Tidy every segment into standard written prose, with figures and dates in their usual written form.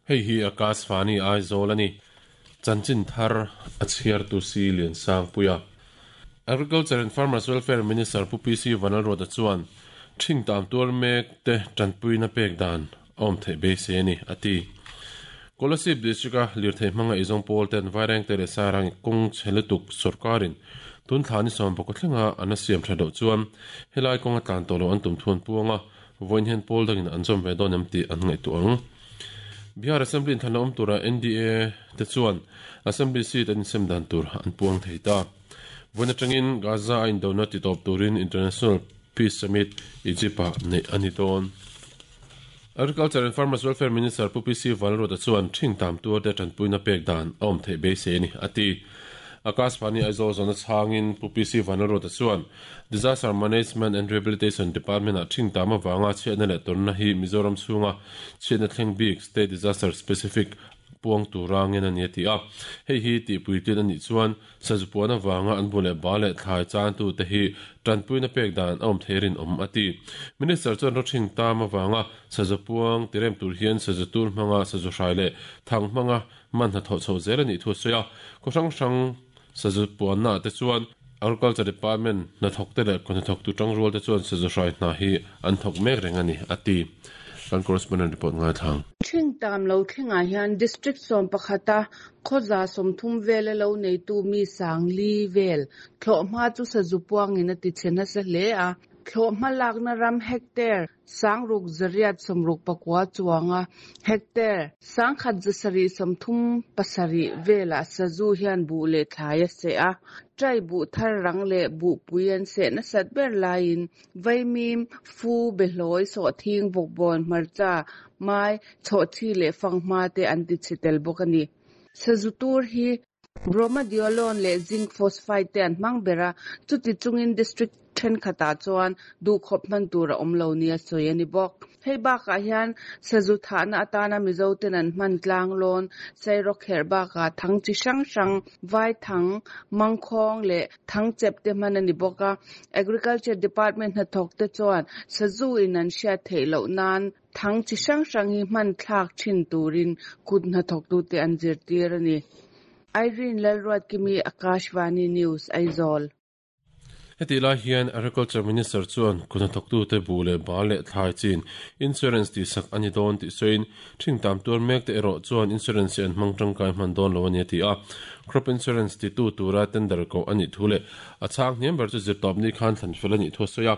Hei hi Akashvani Aizawl a ni. Chanchin thar a chhiartu si Liansangpuia. Agriculture and Farmers Welfare Minister Pu PC Vanlalruata chuan thing tam tuar mek te tanpuina pek dan a awm theih beisei a ni, a ti. Kolasib District-a lirthei hmanga eizawng pawl ten Vairengte leh Sairang kawng chhe lutuk sawrkarin tun thla ni sawmpakua thlenga an a siam tha loh chuan helai kawnga tlan tawh loh an tum thu an puang a, vawiin hian pawl dangin an zawm ve dawn em tih an ngaihtuah ang. Bihar Assembly inthlanna awm tura NDA te chuan Assembly seat an insem dan tur an puang thei ta. Vawiin atangin Gaza a indona titawp turin International Peace Summit Egypt-ah neih a ni dawn. Agriculture and Farmers Welfare Minister Pu PC Vanlalruata chuan thing tam tuarte tanpuina pek dan a awm theih beisei a ni, a ti. Akashvani Aizawl zawhna chhangin Pu PC Vanlalruata chuan Disaster Management and Rehabilitation Department-ah thing tam avanga chhiatna leh tawrhna hi Mizoram chhunga chhiatna thleng bik State Disaster Specific puang tura ngen a ni a ti a. Hei hi tihpuitlin a nih chuan Sazu puan avanga an bu leh ba leh thlai chantu te hi tanpuina pek dan a awm thei rinawm a ti. Minister chuan rawthing tam avanga sazu puang tirem tur hian sazu tur hmanga sazu hrai leh thang hmanga man hnathawh chhoh zel a nih thu a sawi a. Khaw hrang hrang sazu puanna ah te chuan Agriculture Department hnathawk te leh khaw hnathawktu tangrual te chuan sazu hrai hna hi an thawk mek reng a ni a ti. Kan correspondent report ngaithlang. Thing tam lo thlengah hian District 11 a Khawza 30 vela lo neitu mi Sangli vel thlawhhma chu sazu puangin a ti chhe nasa hle a. Thlawhhma lakna ram hectare 6169 chuanga hectare 1737 velah sazu hian buh leh thlai a seh a. Tai buh thar rang leh buhpui an seh nasat ber laiin vaimim, fu, behlawi, sawhthing, vawkbawn, hmarcha, mai, chhawhchhi leh fanghma te an ti chhe tel bawk a ni. Sazu tur hi Bromadiolone leh Zinc Phosphide te an hmang ber a, chuti chungin District thenkhatah chuan duhkhawp hman tur a awm lo nia sawi a ni bawk. Hei bakah hian sazu thahna atana Mizo ten an hman tlanglawn, sairawkherh bakah thang chi hrang hrang, vaithang, mangkhawng leh thangchep te hman a ni bawk a. Agriculture Department hnathawk te chuan sazu in an hriat theih loh nan thang chi hrang hrang hi hman thlak thin turin kut hnathawktute an zirtir a ni. Irene Lalruatkimi, Akashvani News, Aizawl. Hetih lai hian Agriculture Minister chuan kut hnathawktute buh leh bal leh thlai chin insurance tihsak a ni dawn tih sawiin thing tam tuar mek te erawh chuan insurance hi an hmang tangkai hman dawn lo a ni a ti a. Crop insurance titu tura tender koh a nih thu leh a chhang hniam ber chu zirtawpni khan thlan fel a nih thu a sawi a.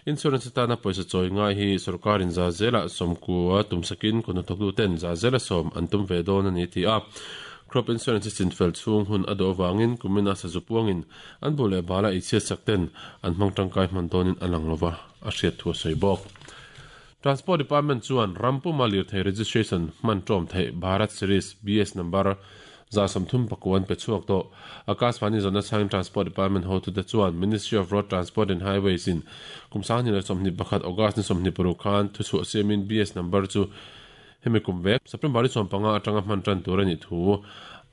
Insurance atana pawisa chawi ngai hi sorkarin za zelah sawmkua tumsakin kut hnathawktuten za zela sawm an tum ve dawn a ni a ti a. Crop insurance hi chinfel chhung hun a duh avangin kumina sazu puangin An bu leh bala ei chhiat sak ten an hmang tangkai hman dawnin a lang lova, a hriat thu a sawi bawk. Transport Department chuan ram puma lirthei registration hman tawm theih Bharat Series, BS number, 339 an pe chhuak tawh. Akashvani zawhna chhangin Transport Department hotute chuan Ministry of Road Transport and Highways in kum 2021 August ni 26 khan thuchhuah siamin BS number chu Hemi kum vek, September ni 15 atanga hman tan tur a nih thu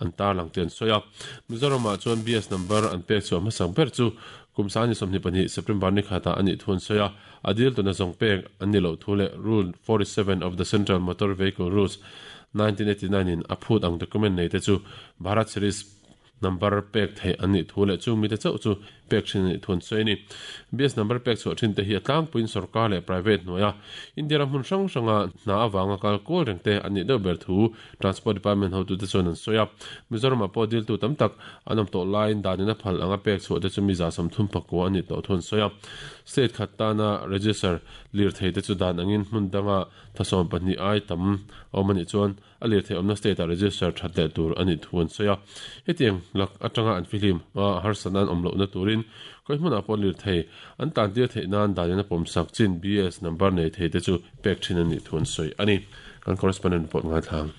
an tarlang tih an sawi a. Mizoramah chuan BS number an pek chhuah hmasak ber chu kum 2022 September ni khatah a nih thu an sawi a. A dil tuna zawng pek an ni loh thu leh Rule 47 of the Central Motor Vehicle Rules, 1989 in a phut ang document nei te chu Bharat Series Number pek theih an nih thu leh chung mite chauh chu pek thin a nih thu an sawi a ni. BS number pek chhuah thin te hi a tlangpuiin sorkar leh private hnuaia India ram hmun hrang hranga hna avanga kal kual reng te an nih deuh ber thu Transport Department hotute chuan an sawi a. Mizoramah pawh diltu tam tak an awm tawh laiin danin a phal anga pek chhuah te chu mi 35 a nih tawh thu an sawi a. State khat tana register lirthei te chu dan angin hmun danga thasawm pahnih ai tam a awm a nih chuan a lirthei awmna state ah register that leh tur a nih thu an sawi a. Hetiang lak atanga an fihlim a harsatna an awm lohna turin khawi hmunah pawh lirthei an tantir theih nan danin a pawmsak chin BS number nei thei te chu pek thin a nih thu an sawi a ni. Kan correspondent report ngaithlang.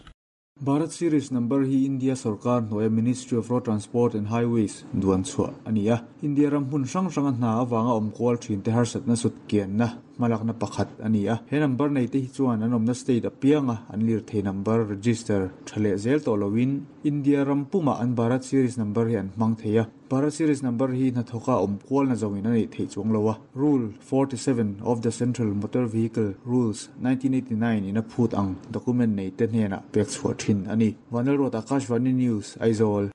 Bharat Series number hi India sorkar hnuaia Ministry of Road Transport and Highways duan chhuah a ni a. India ram hmun hrang hranga hna avanga awm kual thin te harsatna sut kianna. hmalakna pakhat a ni a. He number nei te hi chuan an awmna state apianga an lirthei number register tha leh zel tawh loin India ram pumah an Bharat Series number hi an hmang thei a. Bharat Series number hi hnathawka awm kualna zawngin a neih theih chuang lo a. Rule 47 of the Central Motor Vehicle Rules, 1989 in a phut ang document nei te hnenah pek chhuah thin a ni. Vanlalruat Akashvani News, Aizawl.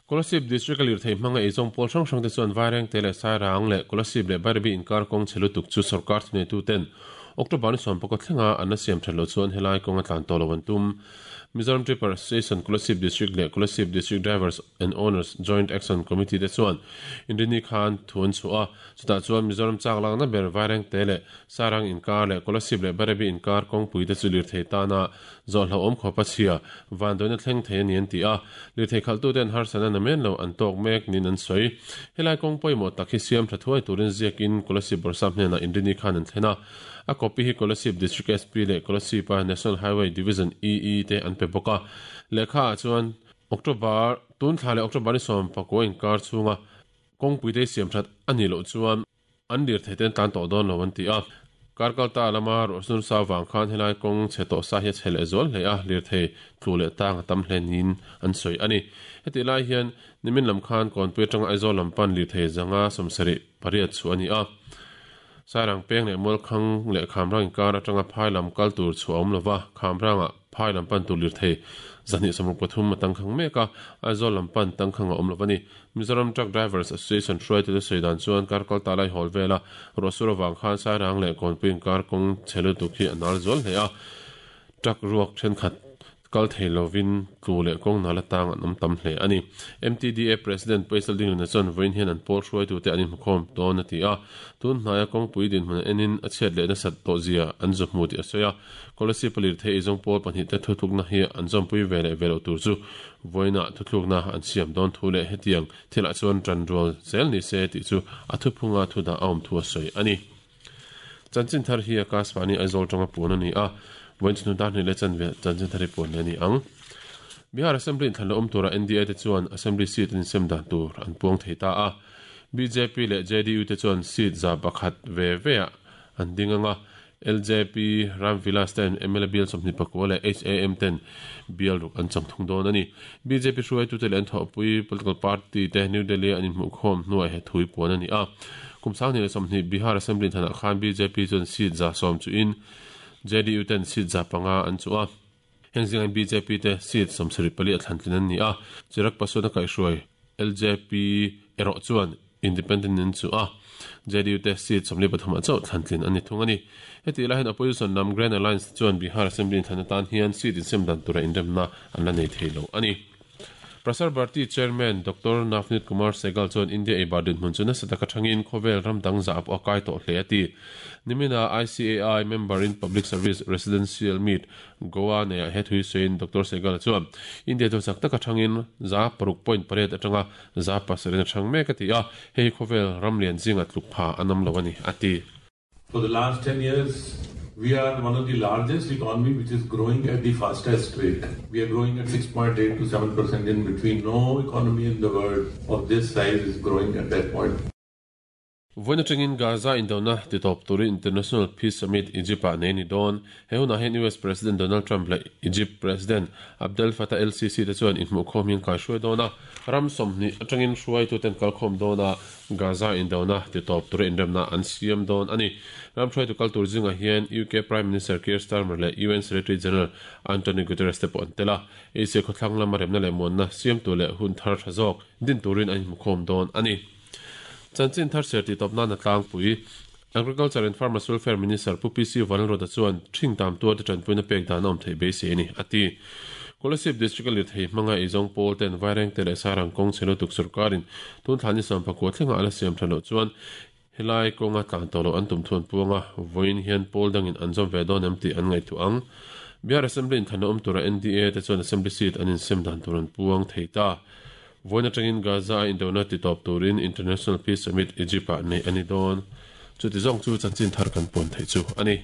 Kolasib District a lirthei hmanga eizawng pawl hrang hrang te chuan Vairengte leh Sairang leh Kolasib leh Bairabi inkar kawng chhe lutuk chu sorkar thuneituten October ni sawmpakua thlenga an la siam that loh chuan helai kawng a tlan tawh lo an tum. Mizoram Tripper Association Kolasib District leh Kolasib District Drivers and Owners Joint Action Committee te chuan Inrini khan thu an chhuah a, chutah chuan Mizoram chak lakna ber Vairengte leh Sarang inkar leh Kolasib leh Bairabi inkar kawngpui te chu lirthei tana zawh hlauhawm khawpa chhia vanduaina thleng thei a ni an ti a, lirthei khalhtute an harsatna namen lo an tawk mek niin an sawi. Helai kawng pawimawh tak hi siam tha thuai turin ziakin Kolasib Bawrhsap hnenah Inrini khan an thlen a, A copy hi Kolasib District SP leh Kolasib-a National Highway Division EE te an pe bawk a. Lehkha ah chuan October, tun thla leh October ni 19 inkar chhunga kawngpui te siam that a nih loh chuan an lirthei te an tlan tawh dawn lo an ti a. Karkalta lama ruahsur sa vang khan helai kawng chhe tawh sa hi a chhe leh zual hle a, lirthei tlu leh tang a tam hle niin an sawi a ni. Hetih lai hian nimin lam khan Kawnpui atanga Aizawl lam pan lirthei zanga 78 chhuah a ni a. Sairang peng leh Mualkhang leh Khamrang inkar atanga phai lam kal tur chhuah a awm lova, Khamrangah phai lam pan tur lirthei 273 a tangkhang mek a, Aizawl lam pan tangkhang a awm lova ni. Mizoram Truck Drivers Association hruaitute sawi dan chuan kar kal ta lai hawl vela ruahsur avang khan Sairang leh Kawnpui inkar kawng chhe lutuk hi a nal zual hle a, truck ruak thenkhat Kal thei lovin tlu leh kawng nala tang an awm tam hle a ni. MTDA President Paisal Dingluna chuan vawiin hian an pawl hruaitute an inhmukhawm dawn a ti a. Tun hnaia kawngpui dinhmun an enin a chhiat leh nasat tawh zia an zu hmu tih a sawi a. Kolasib a lirthei eizawng pawl pahnihte thutlukna hi an zawmpui ve leh ve loh tur chu vawiinah thutlukna an siam dawn thu leh hetiang thilah chuan ṭan rual zel ni se tih chu a thuphunga thudah a awm thu a sawi a ni. Chanchin thar hi Akashvani Aizawl tanga puan a ni a, vawiin chhun dar hnih leh chanve chanchin thar hi puan leh a ni ang. Bihar Assembly inthlan la awm tura NDA te chuan Assembly seat an insem dan tur an puang thei ta a, bjp leh JDU te chuan seat 100 ve veah an ding ang a, LJP, Ram Vilas ten mla bial 24 leh HAM ten bial ruk an chang thung dawn a ni. Bjp hruaitute leh an thawhpui political party te New Delhi-a an inhmuhkhawm hnuah he thui puan a ni a. Kum 2020 Bihar Assembly inthanah khan bjp chuan seat 100 chuhin JDU ten seat 500 an chuh a. Heng zingah bjp te seat 74 a thlantlin an ni a. Chirag Paswan a kaihhruai LJP erawh chuan Independent in chu a, JDU te seat 43 ah chauh thlantlin a ni thung a ni. Hetih lai hian opposition lam Grand Alliance te chuan Bihar Assembly inthlan atan hian seat insem dan tura inremna an la nei thei lo a ni. Prasar Bharati Chairman Doctor Navneet Kumar Sehgal chuan India eibar dinhmun chu nasa taka thangin khawvel ram dang zah pawh a kai tawh hle a ti. Nimina ICAI member in Public Service Residential Meet Goa neiah he thui sawiin Doctor Sehgal chuan India chu chak taka thangin 6.8 atanga 7% a thang mek a ti a, hei hi khawvel ram lian zinga tluk pha an awm lo a ni, a ti. For the last 10 years, we are one of the largest economy which is growing at the fastest rate. We are growing at 6.8 to 7% in between. No economy in the world of this size is growing at that point. Vawiin atangin Gaza indona titawp turin International Peace Summit Egypt-ah nei a ni dawn. He hunah hian US President Donald Trump leh Egypt President Abdel Fattah el-Sisi te chuan inhmuhkhawm hi an kaihruai dawn a. Ram 20 atangin hruaituten kalkhawm dawn a, Gaza indona titawp tura inremna an siam dawn a ni. Ram hruaitu kal tur zingah hian UK Prime Minister Keir Starmer leh UN Secretary General Antonio Guterres te pawh an tel a. Asia khawthlang lama remna leh muanna siamtu leh hun thar tha zawk din turin an inhmukhawm dawn a ni. Chanchin thar ser tih tawp nana tlangpui, Agriculture and Farmers Welfare Minister Pu PC Vanlalruata chuan ṭhing tam tuarte ṭanpuina pek dan a awm theih beisei a ni, a ti. Kolasib District-a lirthei hmanga eizawng pawl ten Vairengte leh Sarang kawng chhe lutuk sorkarin tun thla ni 19 thlenga a la siam ṭha loh chuan helai kawnga tlan tawh loh an tum thu an puang a, vawiin hian pawl dangin an zawm ve dawn em tih an ngaihtuah ang. Bihar Assembly inthlanna awm tura NDA te chuan Assembly seat an insem dan tur an puang thei ta. Vawiin atangin Gaza a indona titawp turin International Peace Summit Egypt-ah neih a ni dawn. Chuti zawng chu chanchin thar kan puan theih chu a ni.